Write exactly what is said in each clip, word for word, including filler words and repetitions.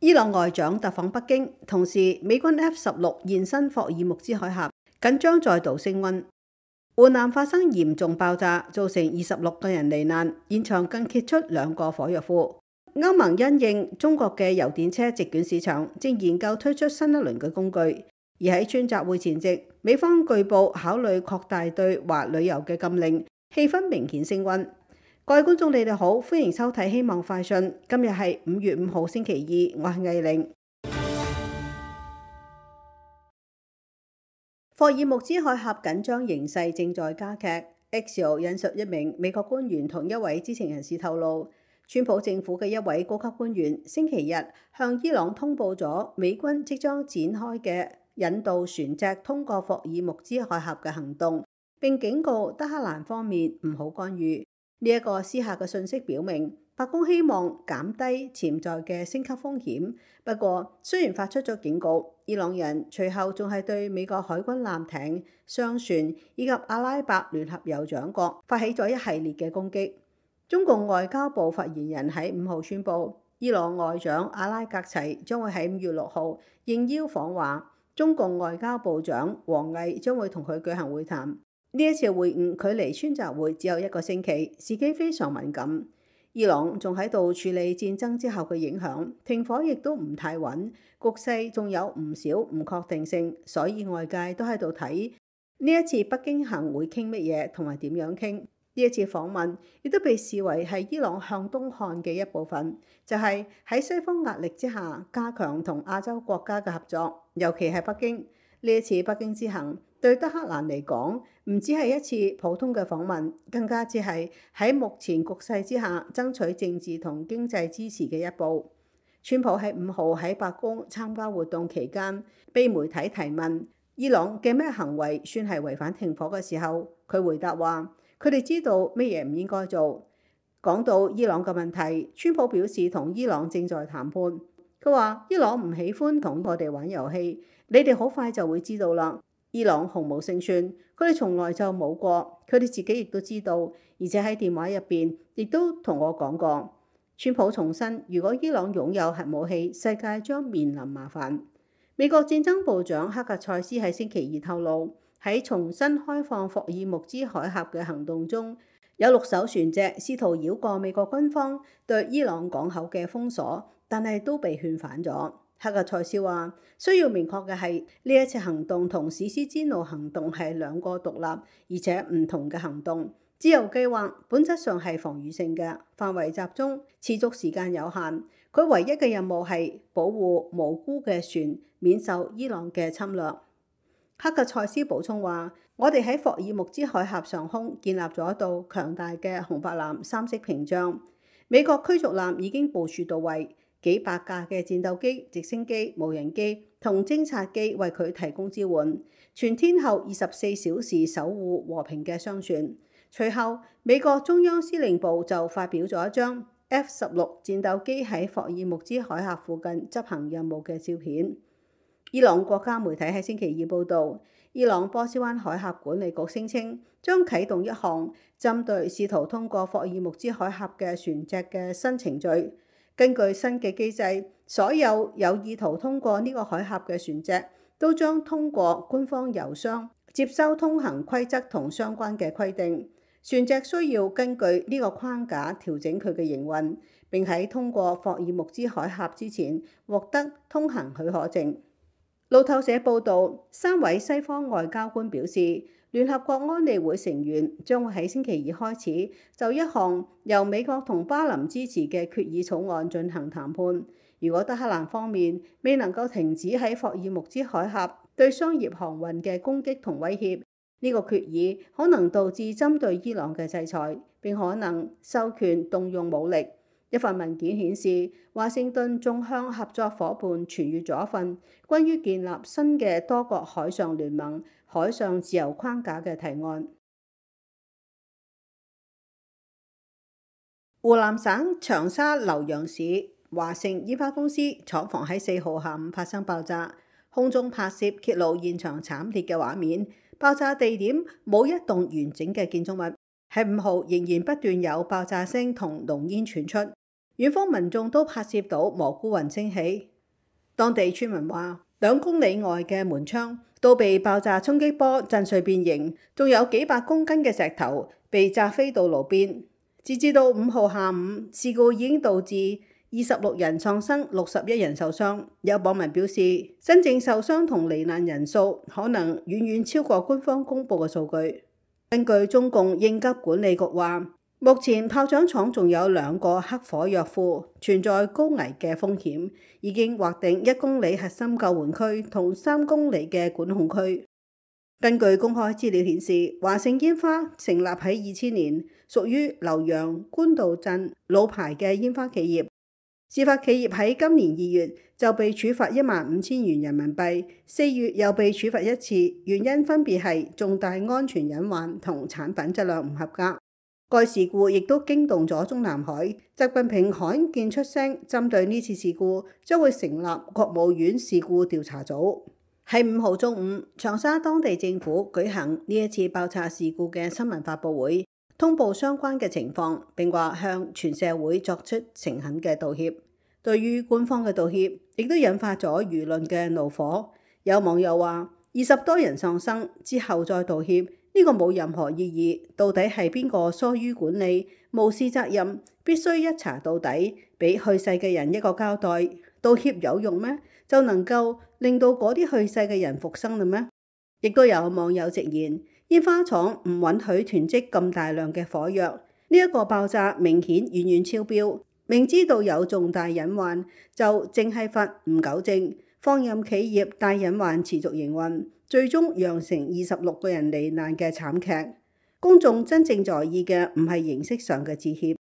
伊朗外長特訪北京，同時美軍 F 十六現身霍爾木茲海峽，緊張再度升溫。湖南發生嚴重爆炸，造成二十六個人罹難，現場更揭出兩個火藥庫。歐盟因應中國嘅油電車席捲市場，正研究推出新一輪嘅工具。而喺川習會前夕，美方據報考慮擴大對華旅遊嘅禁令，氣氛明顯升溫。各位觀眾，你哋好，歡迎收睇《希望快訊》。今日係五月五號星期二，我係藝玲。霍爾木茲海峽緊張形勢正在加劇。Axios 引述一名美國官員同一位知情人士透露，川普政府嘅一位高級官員星期日向伊朗通報咗美軍即將展開嘅引導船隻通過霍爾木茲海峽嘅行動，並警告德黑蘭方面唔好干預。呢一個私下嘅信息表明，白宮希望減低潛在嘅升級風險。不過，雖然發出咗警告，伊朗人隨後仲係對美國海軍艦艇、商船以及阿拉伯聯合酋長國發起咗一系列嘅攻擊。中共外交部發言人喺五號宣布，伊朗外長阿拉格齊將會喺五月六號應邀訪華，中共外交部長王毅將會同佢舉行會談。呢一次會晤距離川習會只有一個星期，時機非常敏感。伊朗仲喺度處理戰爭之後嘅影響，停火亦都唔太穩，局勢仲有唔少唔確定性，所以外界都喺度睇呢一次北京行會傾乜嘢，同埋點樣傾。呢一次訪問亦都被視為係伊朗向東看嘅一部分，就係喺西方壓力之下加強同亞洲國家嘅合作，尤其係北京。呢一次北京之行對德黑蘭嚟講，唔只係一次普通嘅訪問，更加只係喺目前局勢之下爭取政治同經濟支持嘅一步。川普喺五號喺白宮參加活動期間，被媒體提問伊朗嘅咩行為算係違反停火嘅時候，佢回答話：佢哋知道咩嘢唔應該做。講到伊朗嘅問題，川普表示同伊朗正在談判。佢話伊朗唔喜歡同我哋玩遊戲，你哋好快就會知道啦。伊朗毫無勝算，佢哋從來就冇過，佢哋自己亦都知道，而且喺電話入邊亦都同我講過。川普重申，如果伊朗擁有核武器，世界將面臨麻煩。美國戰爭部長克格塞斯喺星期二透露，喺重新開放霍爾木茲海峽嘅行動中，有六艘船隻試圖繞過美國軍方對伊朗港口嘅封鎖，但係都被勸返咗。克格塞斯話：需要明確嘅係呢一次行動同史詩之怒行動係兩個獨立而且唔同嘅行動。自由計劃本質上係防禦性嘅，範圍集中，持續時間有限。佢唯一嘅任務係保護無辜嘅船免受伊朗嘅侵略。克格塞斯補充話：我哋喺霍爾木茲海峽上空建立咗一道強大嘅紅白藍三色屏障，美國驅逐艦已經部署到位。幾百架嘅戰鬥機、直升機、無人機同偵察機為佢提供支援，全天候二十四小時守護和平嘅商船。隨後，美國中央司令部就發表咗一張 F 十六戰鬥機喺霍爾木茲海峽附近執行任務嘅照片。伊朗國家媒體喺星期二報導，伊朗波斯灣海峽管理局聲稱將啟動一項針對試圖通過霍爾木茲海峽嘅船隻嘅新程序。根據新嘅機制，所有有意圖通過呢個海峽嘅船隻都將通過官方郵箱接收通行規則同相關嘅規定。船隻需要根據呢個框架調整佢嘅營運，並喺通過霍爾木茲海峽之前獲得通行許可證。路透社報導，三位西方外交官表示，聯合國安理會成員將會喺星期二開始就一項由美國同巴林支持嘅決議草案進行談判。如果德黑蘭方面未能夠停止喺霍爾木茲海峽對商業航運嘅攻擊同威脅，呢個決議可能導致針對伊朗嘅制裁，並可能授權動用武力。一份文件顯示，華盛頓仲向合作伙伴傳閱咗一份關於建立新嘅多國海上聯盟、海上自由框架嘅提案。湖南省長沙瀏陽市華盛煙花公司廠房喺四號下午發生爆炸，空中拍攝揭露現場慘烈嘅畫面。爆炸地點冇一棟完整嘅建築物，喺五號仍然不斷有爆炸聲同濃煙傳出。遠方民眾都拍攝到蘑菇雲升起。當地村民話，兩公里外嘅門窗都被爆炸衝擊波震碎變形，仲有幾百公斤嘅石頭被炸飛到路邊。截至到五號下午，事故已經導致二十六人喪生，六十一人受傷。有網民表示，真正受傷同罹難人數可能遠遠超過官方公佈嘅數據。根據中共應急管理局話，目前炮仗廠仲有兩個黑火藥庫，存在高危嘅風險，已經劃定一公里核心救援區同三公里嘅管控區。根據公開資料顯示，華盛煙花成立喺二千年，屬於瀏陽官渡鎮老牌嘅煙花企業。事發企業喺今年二月就被處罰一萬五千元人民幣，四月又被處罰一次，原因分別係重大安全隱患同產品質量唔合格。該事故亦都驚動咗中南海，習近平罕見出聲，針對呢次事故將會成立國務院事故調查組。喺五號中午，長沙當地政府舉行呢一次爆炸事故嘅新聞發佈會，通報相關嘅情況，並話向全社會作出誠懇嘅道歉。對於官方嘅道歉，亦都引發咗輿論嘅怒火。有網友話：二十多人喪生之後再道歉，呢個冇任何意義。到底係邊個疏於管理、無視責任？必須一查到底，俾去世嘅人一個交代。道歉有用咩？就能夠令到嗰啲去世嘅人復生啦咩？亦都有網友直言，煙花廠唔允許囤積咁大量嘅火藥，呢一個爆炸明顯遠遠超標，明知道有重大隱患，就淨係罰唔糾正，放任企業大隱患持續營運，最終釀成二十六個人罹難嘅慘劇。公眾真正在意嘅唔係形式上嘅致歉。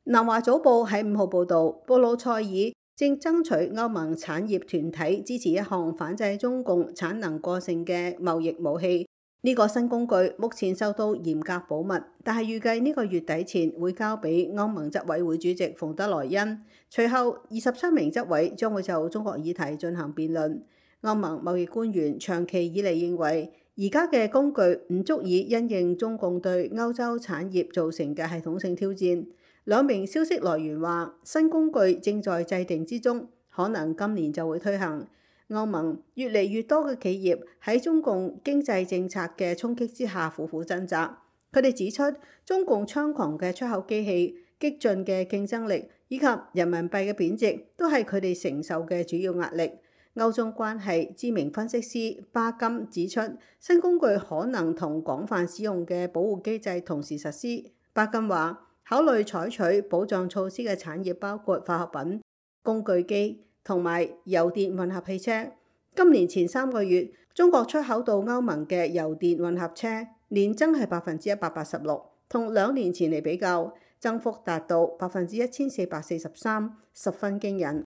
南華早報喺五號報導，布魯塞爾正爭取歐盟產業團體支持一項反制中共產能過剩嘅貿易武器。呢個新工具目前受到嚴格保密，但係預計呢個月底前會交俾歐盟執委會主席馮德萊恩。隨後二十七名執委將會就中國議題進行辯論。歐盟貿易官員長期以嚟認為，而家嘅工具唔足以因應中共對歐洲產業造成嘅系統性挑戰。兩名消息來源話，新工具正在制定之中，可能今年就會推行。歐盟越嚟越多嘅企業喺中共經濟政策嘅衝擊之下苦苦掙扎。佢哋指出，中共猖狂嘅出口機器、激進嘅競爭力以及人民幣嘅貶值，都係佢哋承受嘅主要壓力。歐中關係知名分析師巴金指出，新工具可能同廣泛使用嘅保護機制同時實施。巴金話，考慮採取保障措施嘅產業包括化學品、工具機同埋油電混合汽車。今年前三個月，中國出口到歐盟嘅油電混合車年增係百分之一百八十六，同兩年前嚟比較，增幅達到百分之一千四百四十三，十分驚人。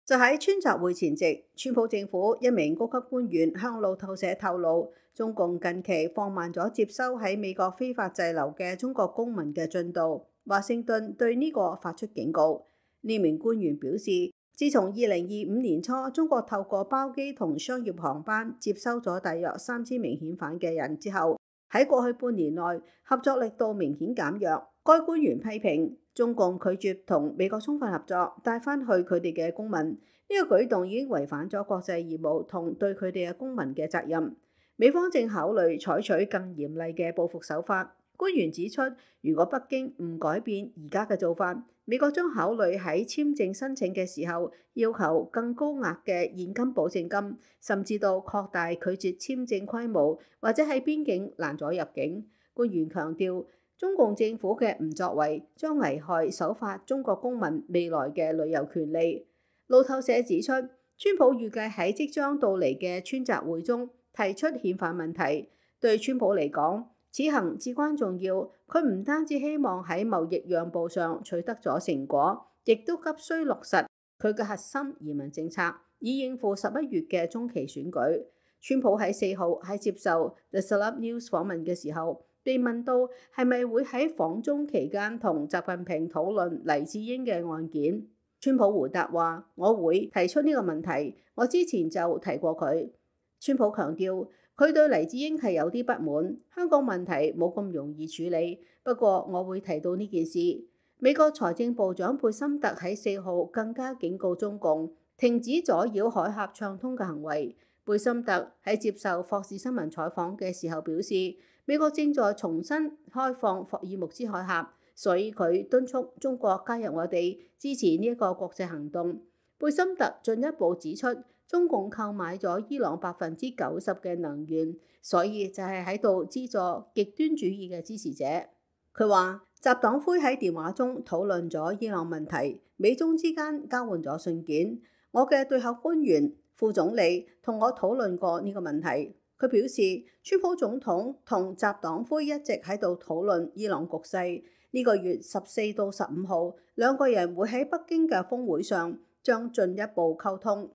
就喺川習會前夕，川普政府一名高級官員向路透社透露，中共近期放慢咗接收喺美國非法滯留嘅中國公民嘅進度。華盛頓對呢個發出警告。呢名官員表示，自從二零二五年初，中國透過包機同商業航班接收咗大約三千名遣返嘅人之後，喺過去半年內合作力度明顯減弱。該官員批評中共拒絕同美國充分合作，帶返去佢哋嘅公民。呢個舉動已經違反咗國際義務同對佢哋嘅公民嘅責任。美方正考慮採取更嚴厲嘅報復手法。官員指出，如果北京唔改變而家嘅做法，美國將考慮喺簽證申請嘅時候要求更高額嘅現金保證金，甚至到擴大拒絕簽證規模，或者喺邊境攔阻入境。官員強調，中共政府嘅唔作為將危害守法中國公民未來嘅旅遊權利。路透社指出，川普預計喺即將到嚟嘅川習會中提出遣返問題。對川普嚟講，此行至關重要。佢唔單止希望喺貿易讓步上取得咗成果，亦都急需落實佢嘅核心移民政策，以應付十一月嘅中期選舉。川普喺四號喺接受 The Celeb News 訪問嘅時候，被問到係咪會喺訪中期間同習近平討論黎智英嘅案件。川普回答話：我會提出呢個問題，我之前就提過佢。川普強調佢對黎智英係有啲不滿，香港問題冇咁容易處理，不過我會提到呢件事。美國財政部長貝森特喺四號更加警告中共停止阻擾海峽暢通嘅行為。貝森特喺接受霍士新聞採訪嘅時候表示，美國正在重新開放霍爾木茲海峽，所以佢敦促中國加入我哋，支持呢一個國際行動。貝森特進一步指出，中共購買咗伊朗百分之九十嘅能源，所以就係喺度資助極端主義嘅支持者。佢話，習黨魁喺電話中討論咗伊朗問題，美中之間交換咗信件。我嘅對口官員副總理同我討論過呢個問題。佢表示，川普總統同習黨魁一直喺度討論伊朗局勢。呢個月十四到十五號，兩個人會喺北京嘅峰會上將進一步溝通。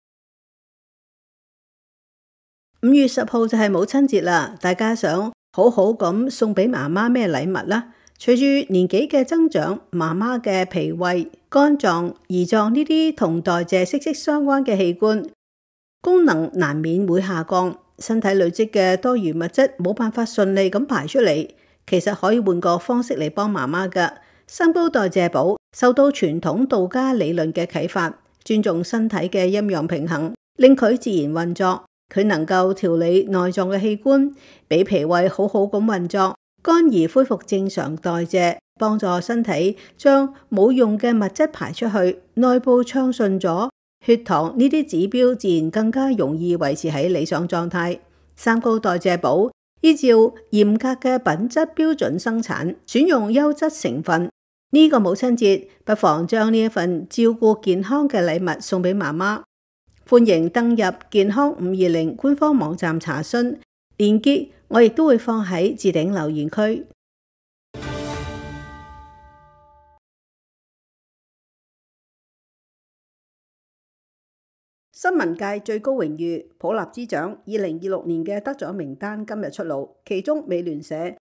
五月十號就係母親節啦，大家想好好咁送俾媽媽咩禮物啦？隨住年紀嘅增長，媽媽嘅脾胃、肝臟、胰臟呢啲同代謝息息相關嘅器官功能難免會下降，身體累積嘅多餘物質冇辦法順利咁排出嚟。其實可以換個方式嚟幫媽媽㗎。三高代謝寶受到傳統道家理論嘅啟發，尊重身體嘅陰陽平衡，令佢自然運作。佢能夠調理內臟嘅器官，俾脾胃好好咁運作，肝兒恢復正常代謝，幫助身體將冇用嘅物質排出去，內部暢順咗，血糖呢啲指標自然更加容易維持喺理想狀態。三高代謝寶依照嚴格嘅品質標準生產，選用優質成分。呢個母親節，不妨將呢一份照顧健康嘅禮物送俾媽媽。歡迎登入健康五二零官方網站查詢，鏈接我亦都會放喺置頂留言區。新聞界最高榮譽普立茲獎二零二六年嘅得獎名單今日出爐，其中美聯社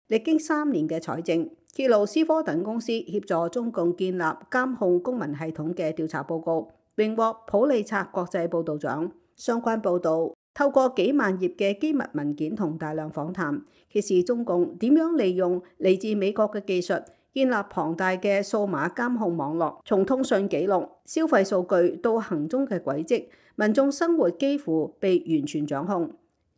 歷經三年嘅採證，揭露思科等公司協助中共建立監控公民系統嘅調查報告，榮獲普利策國際報導獎。相關報導透過幾萬頁嘅機密文件同大量訪談，揭示中共點樣利用嚟自美國嘅技術，建立龐大嘅數碼監控網絡，從通訊記錄、消費數據到行蹤嘅軌跡，民眾生活幾乎被完全掌控。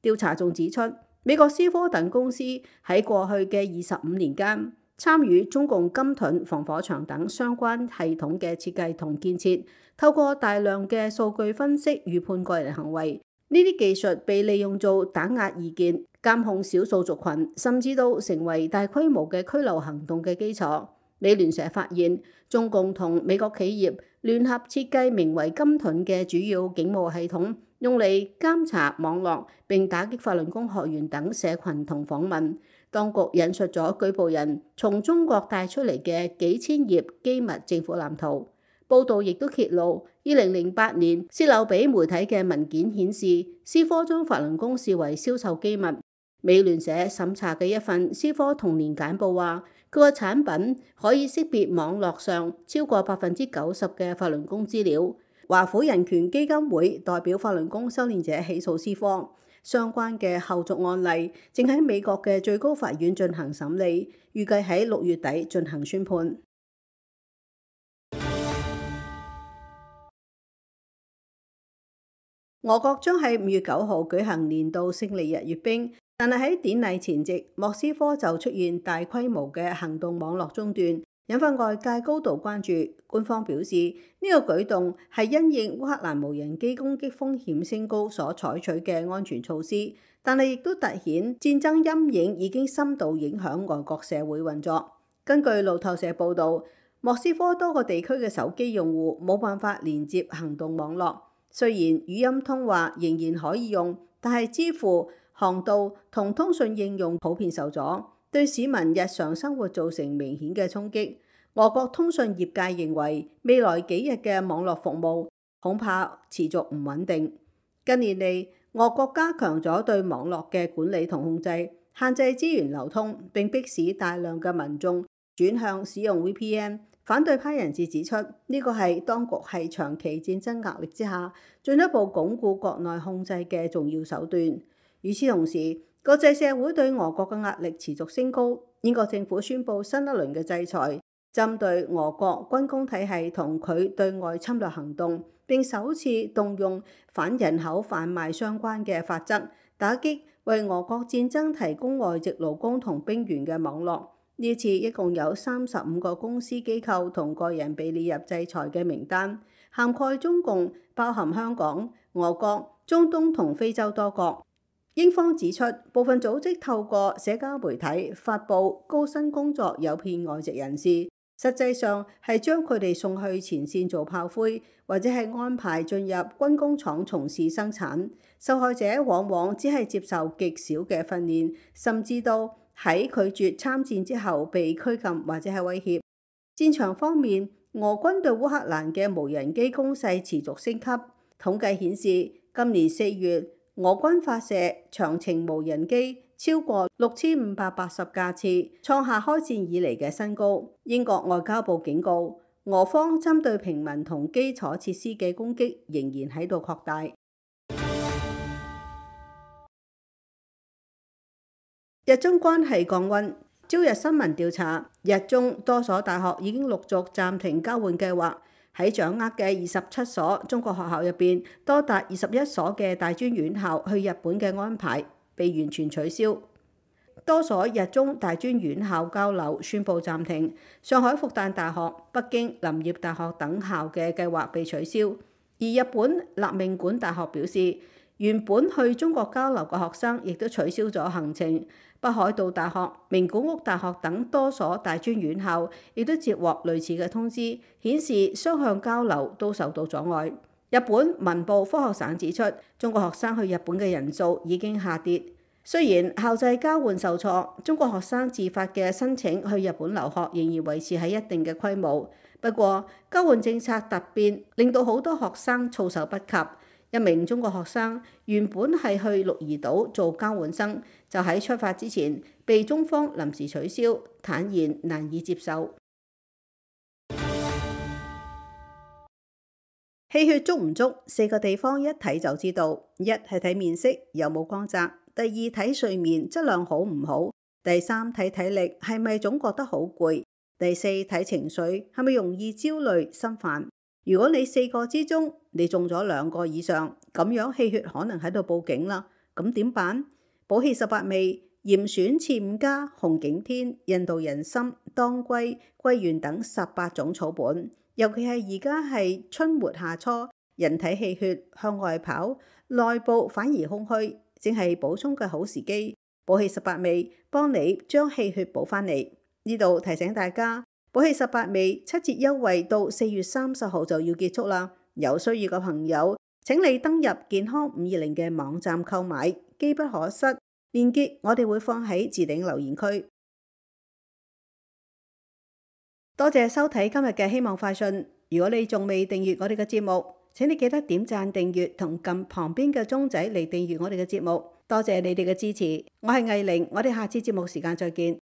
調查仲指出，美國思科等公司喺過去嘅二十五年間，參與中共金盾防火牆等相關系統嘅設計同建設，透過大量嘅數據分析預判個人行為。呢啲技術被利用做打壓異見、監控少數族群，甚至都成為大規模嘅拘留行動嘅基礎。美聯社發現，中共同美國企業聯合設計名為金盾嘅主要警務系統，用嚟監察網絡並打擊法輪功學員等社群同訪問。當局引述咗舉報人從中國帶出嚟嘅幾千頁機密政府藍圖。報道亦都揭露，二零零八年泄漏俾媒體嘅文件顯示，思科將法輪功視為銷售機密。美聯社審查嘅一份思科童年簡報話，佢個產品可以識別網絡上超過百分之九十嘅法輪功資料。華府人權基金會代表法輪功修煉者起訴思科，相關嘅後續案例正喺美國嘅最高法院進行審理，預計喺六月底進行宣判。俄國將喺五月九號舉行年度勝利日閱兵，但係喺典禮前夕，莫斯科就出現大規模嘅行動網絡中斷，引發外界高度關注。官方表示，呢個舉動係因應烏克蘭無人機攻擊風險升高所採取嘅安全措施，但係亦都凸顯戰爭陰影已經深度影響外國社會運作。根據路透社報導，莫斯科多個地區嘅手機用戶冇辦法連接行動網絡。雖然語音通話仍然可以用，但係支付、航道同通訊應用普遍受阻，對市民日常生活造成明顯嘅衝擊。俄國通訊業界認為，未來幾日嘅網絡服務恐怕持續唔穩定。近年嚟，俄國加強咗對網絡嘅管理同控制，限制資源流通，並迫使大量嘅民眾轉向使用 V P N，反對派人士指出，呢個係當局係長期戰爭壓力之下進一步鞏固國內控制嘅重要手段。與此同時，國際社會對俄國嘅壓力持續升高。英國政府宣布新一輪嘅制裁，針對俄國軍工體系同佢對外侵略行動，並首次動用反人口販賣相關嘅法則，打擊為俄國戰爭提供外籍勞工同兵員嘅網絡。呢次一共有三十五個公司機構同個人被列入制裁嘅名單，涵蓋中共，包含香港、俄國、中東同非洲多國。英方指出，部分組織透過社交媒體發布高薪工作誘騙外籍人士，實際上係將佢哋送去前線做炮灰，或者係安排進入軍工廠從事生產。受害者往往只係接受極少嘅訓練，甚至到喺拒絕參戰之後被拘禁或者係威脅。戰場方面，俄軍對烏克蘭嘅無人機攻勢持續升級。統計顯示，今年四月俄軍發射長程無人機超過六千五百八十架次，創下開戰以嚟嘅新高。英國外交部警告，俄方針對平民同基礎設施嘅攻擊仍然喺度擴大。日中關係降溫。朝日新聞調查，日中多所大學已經陸續暫停交換計劃。喺掌握嘅二十七所中國學校入邊，多達二十一所嘅大專院校去日本嘅安排被完全取消。多所日中大專院校交流宣布暫停。上海復旦大學、北京林業大學等校嘅計劃被取消。而日本立命館大學表示，原本去中國交流嘅學生亦都取消咗行程。北海道大學、名古屋大學等多所大專院校亦都接獲類似嘅通知，顯示雙向交流都受到阻礙。日本文部科學省指出，中國學生去日本嘅人數已經下跌。雖然校際交換受挫，中國學生自發嘅申請去日本留學仍然維持喺一定嘅規模。不過，交換政策突變令到好多學生措手不及。一名中國學生原本係去鹿兒島做交換生，就喺出發之前被中方臨時取消，坦言難以接受。氣血足唔足，四個地方一睇就知道：一係睇面色有冇光澤，第二睇睡眠質量好唔好，第三睇體力係咪總覺得好攰，第四睇情緒係咪容易焦慮心煩。如果你四個之中你中咗兩個以上，咁樣氣血可能喺度報警啦。咁點辦？補氣十八味、嚴選次五加、紅景天、印度人參、當歸、桂圓等十八種草本，尤其係而家係春末夏初，人體氣血向外跑，內部反而空虛，正係補充嘅好時機。補氣十八味幫你將氣血補翻嚟。呢度提醒大家，補氣十八味七折優惠到四月三十號就要結束啦。有需要嘅朋友，請你登入健康五二零嘅網站購買，機不可失。鏈接我哋會放喺置頂留言區。多謝收睇今日嘅希望快訊。如果你仲未訂閱我哋嘅節目，請你記得點讚訂閱同撳旁邊嘅鐘仔嚟訂閱我哋嘅節目。多謝你哋嘅支持。我係藝玲，我哋下次節目時間再見。